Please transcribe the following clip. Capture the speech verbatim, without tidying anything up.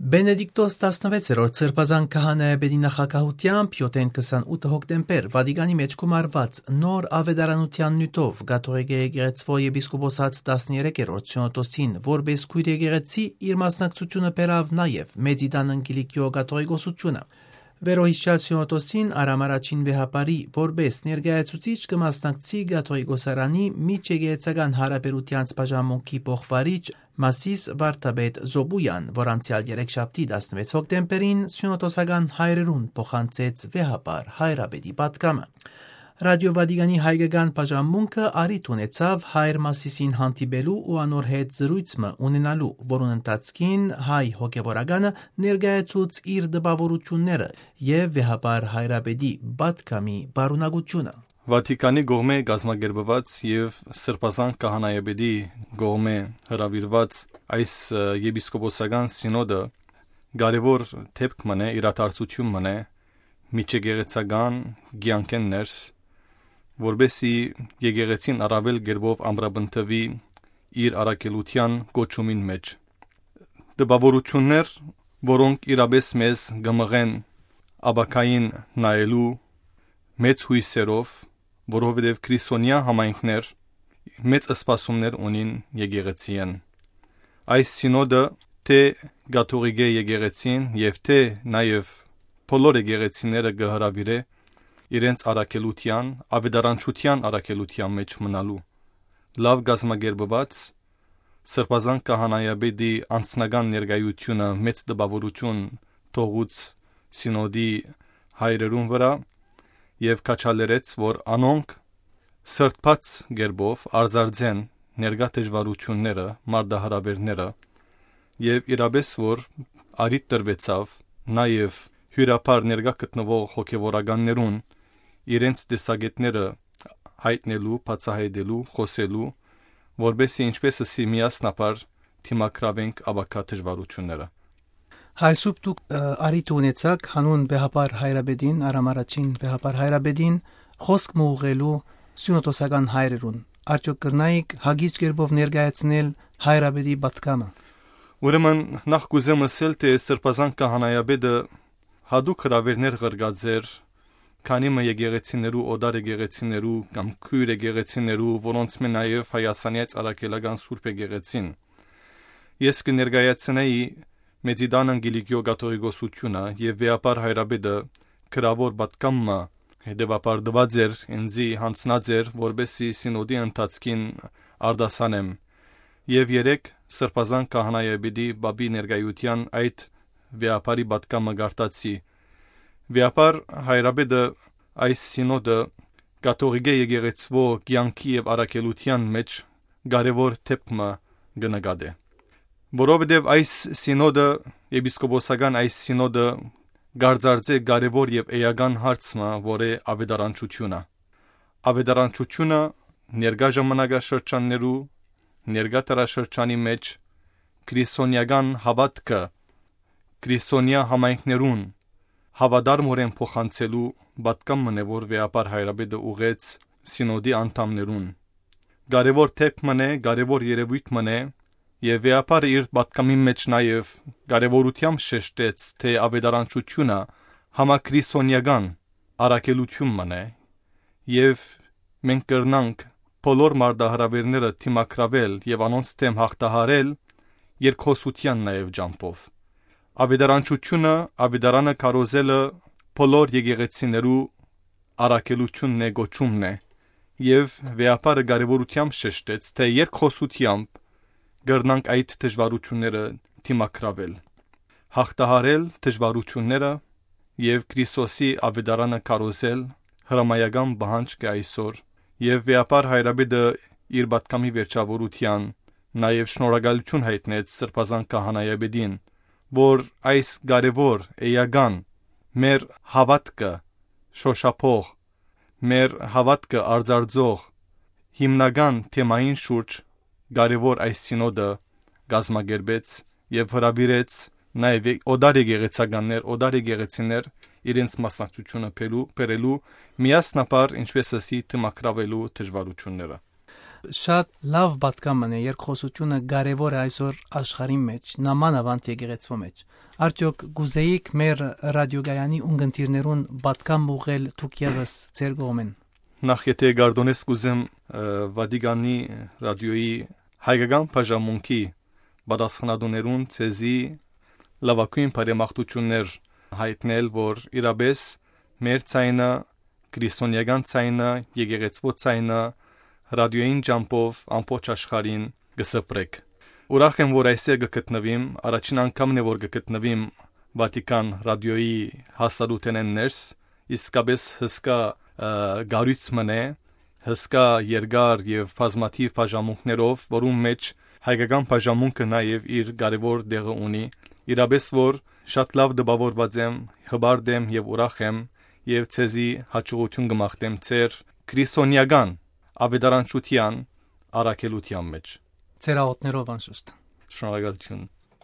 Բենեդիկտոս տասնվեցերորդ Սրբազան քահանայապետի նախագահությամբ յոթ քսանութ հոկտեմբեր Վատիկանի մեջքում արված նոր ավետարանության նյութով Կաթողիկ եկեղեցվո եպիսկոպոսած տասներեքերորդ Սյունոտոսին որպես քույր եկեղեցի իր մասնակցությունը բերավ նաև Մեծիդան Անգելիկիո կաթողիկոսությունը։ Վերոհիշյալ Սյունոտոսին Արամ առաջին վեհապարի որպես ներկայացուցիչ կմասնակցի Կաթողիկոսարանի միջեկեղեցական հարաբերությանց բաժանմունքի փոխվարիչ Մասիս Վարդապետ Զոբույան, որ անցյալ երեքշաբթի տասնվեց հոկտեմբերին Սյունոտոսական հայրերուն փոխանցեց վեհապար հայրապետի պատգամը։ Ռադիո Վատիկանի հայկական բաժանմունքը արիթ ունեցավ հայր Մասիսին հանդիպելու ու անոր հետ զրույցը ունենալու, որուն ընթացքին հայ հոգևորականը ներկայացուց իր դպավորությունները եւ վեհապար հայրապետի պատգամի բարունակությունը։ Վատիկանի կողմէ գազմագերբված եւ Սրբազան քահանայապետի կողմէ հրավիրված այս եպիսկոպոսական սինոդը կարևոր դեպք մնե իրադարձություն մնե միջեկեղեցական կյանքեն ներս, որբեսի եկեղեցին առավել գերբով ամրապնդվի իր առաքելության կոչումին մեջ։ Դպավորություններ, որոնք իրապես մեզ կմղեն աբակային նայելու մեծ հույսերով, որովհետև քրիստոնյա համայնքներ մեծ սպասումներ ունին եկեղեցիեն։ Այս սինոդը թե կաթողիկ եկեղեցին եւ թե նաեւ բոլոր եկեղեցիները կհրավիրե իրենց առաքելության, ավետարանչության առաքելության մեջ մնալու լավ գազմագերբված Սրբազան քահանայապետի անձնական ներկայությունը մեծ տպավորություն թողուց սինոդի հայրերուն վրա եւ քաչալերեց, որ անոնք սրբած գերբով արձարձեն ներկա դժվարությունները, մարդահրավերները եւ իրապես որ արիթ տրվեցավ նաեւ հյուրապար ներկա գտնվող հոգևորականներուն իրենց տեսակետները հայտնելու, բացահայտելու, խոսելու, որբեսի ինչպեսի միասնապար թիմակրավենք աբակա դժվարությունները։ Այսուբ դուք արիթ ունեցաք հանուն վեհապար հայրապետին, Արամ առաջին վեհապար հայրապետին խոսք մուղղելու սյունոտոսական հայրերուն։ Արդյոք կրնայիք հագիչ կերպով ներկայացնել հայրապետի պատգամը։ Ուրեմն նախ կուզեմ ասել, թե Սրբազան քահանայապետը հատուկ հրավերներ ղրկած էր քանի մը եկեղեցիներու, օդար եկեղեցիներու կամ քույր եկեղեցիներու, որոնց մե նաև հայասանյաց առաքելական Սուրբ եկեղեցին։ Ես կներկայացնեի Մեծիդան Անգելիկիո կաթողիկոսությունը եւ վեհապար հայրապետը գրավոր պատգամը հետևապարտված էր ինձի հանձնած էր, որբեսի սինոդի ընթացքին արդասանեմ եւ երեք Սրբազան քահանայապետի բաբի ներկայության այդ վեհապարի պատգամը գարտացի։ Վեհապար հայրապետը այս սինոդը կաթողիկ եկեղեցվո կյանքի եւ առաքելության մեջ կարևոր թեփը կնկատե, որովհետեւ այս սինոդը եպիսկոպոսական այս սինոդը գարձարձե կարևոր եւ էական հարցը, որ է ավետարանչությունը։ Ավետարանչությունը ներկա ժամանակաշրջաններու ներկա տարաշրջանի մեջ քրիստոնեական հավատքը քրիստոնյա համայնքներուն հավատարմորեն փոխանցելու պատգամ մնե, որ վեհապար հայրապետը ուղեց սինոդի անդամներուն։ Կարևոր թեփ մնե, կարևոր երևույթ մնե եւ վեհապարը իր պատգամի մեջ նաեւ կարևորությամբ շեշտեց, թե ավետարանչությունը համաքրիստոնեական առաքելություն մնե եւ մենք կրնանք բոլոր մարդահրավերները թիմակրավել եւ անոնց թեմ հաղթահարել երկխոսության նաեւ ջամփով։ Ավետարանչությունը, ավետարանը կարոզելը բոլոր եկեղեցիներու առաքելությունն է, գոչումն է եւ վեհապարը կարևորությամբ շեշտեց, թե երկխոսությամբ կրնանք այդ դժվարությունները թիմակրավել, հաղթահարել դժվարությունները եւ Քրիստոսի ավետարանը կարոզել հրամայական բանջ կա այսօր եւ վեհապար հայրապետը իր պատգամի վերջավորության նաեւ շնորհակալություն հայտնեց Սրբազան քահանայապետին, որ այս կարևոր էական մեր հավատքը շոշափող, մեր հավատքը արձարձող հիմնական թեմային շուրջ կարևոր այս սինոդը գազմագերբեց եւ հրավիրեց նաեւ օդար եկեղեցականներ, օդար եկեղեցիներ իրենց մասնակցությունը բերելու, բերելու միասնապար ինչպես ասի թմակրավելու դժվարությունները։ Շատ լավ պատկաման է երկխոսությունը կարևոր է այսօր աշխարհի մեջ, նամանավանդ եկեղեցու մեջ։ Արդյոք գուզեիք մեր ռադիոգայանի ունգընտիրներուն պատկամ ուղղել դուք ևս ձեր կողմեն։ Նախ եթե գարդոնես կուզեմ Վատիկանի ռադիոյի հայկական բաժանմունքի պատասխանատուներուն ցեզի լավագույն բարեմաղթություններ հայտնել, որ իրապես մեր ցայնը, քրիստոնեական ցայնը, եկեղեցու ցայնը ռադիոյին ջամփով ամբողջ աշխարհին գսպրեք։ Ուրախ եմ, որ այսօր կգտնվիմ, առաջին անգամն է, որ կգտնվիմ Վատիկան ռադիոյի հասարութենեն ներս, իսկապես հսկա գարույց մնե, հսկա երկար եւ բազմաթիվ բաժանմունքներով, որում մեջ հայկական բաժանմունքը նաեւ իր կարևոր դեղը ունի, իրապես որ շատ լավ դպավորված եմ, հբարդ եմ եւ ուրախ եմ եւ ցեզի հաջողություն կմաղթեմ ձեր քրիստոնեական ավետարանչության առաքելության մեջ։ Ձեր աղոթներով անշուշտ։ Շնորհակալություն։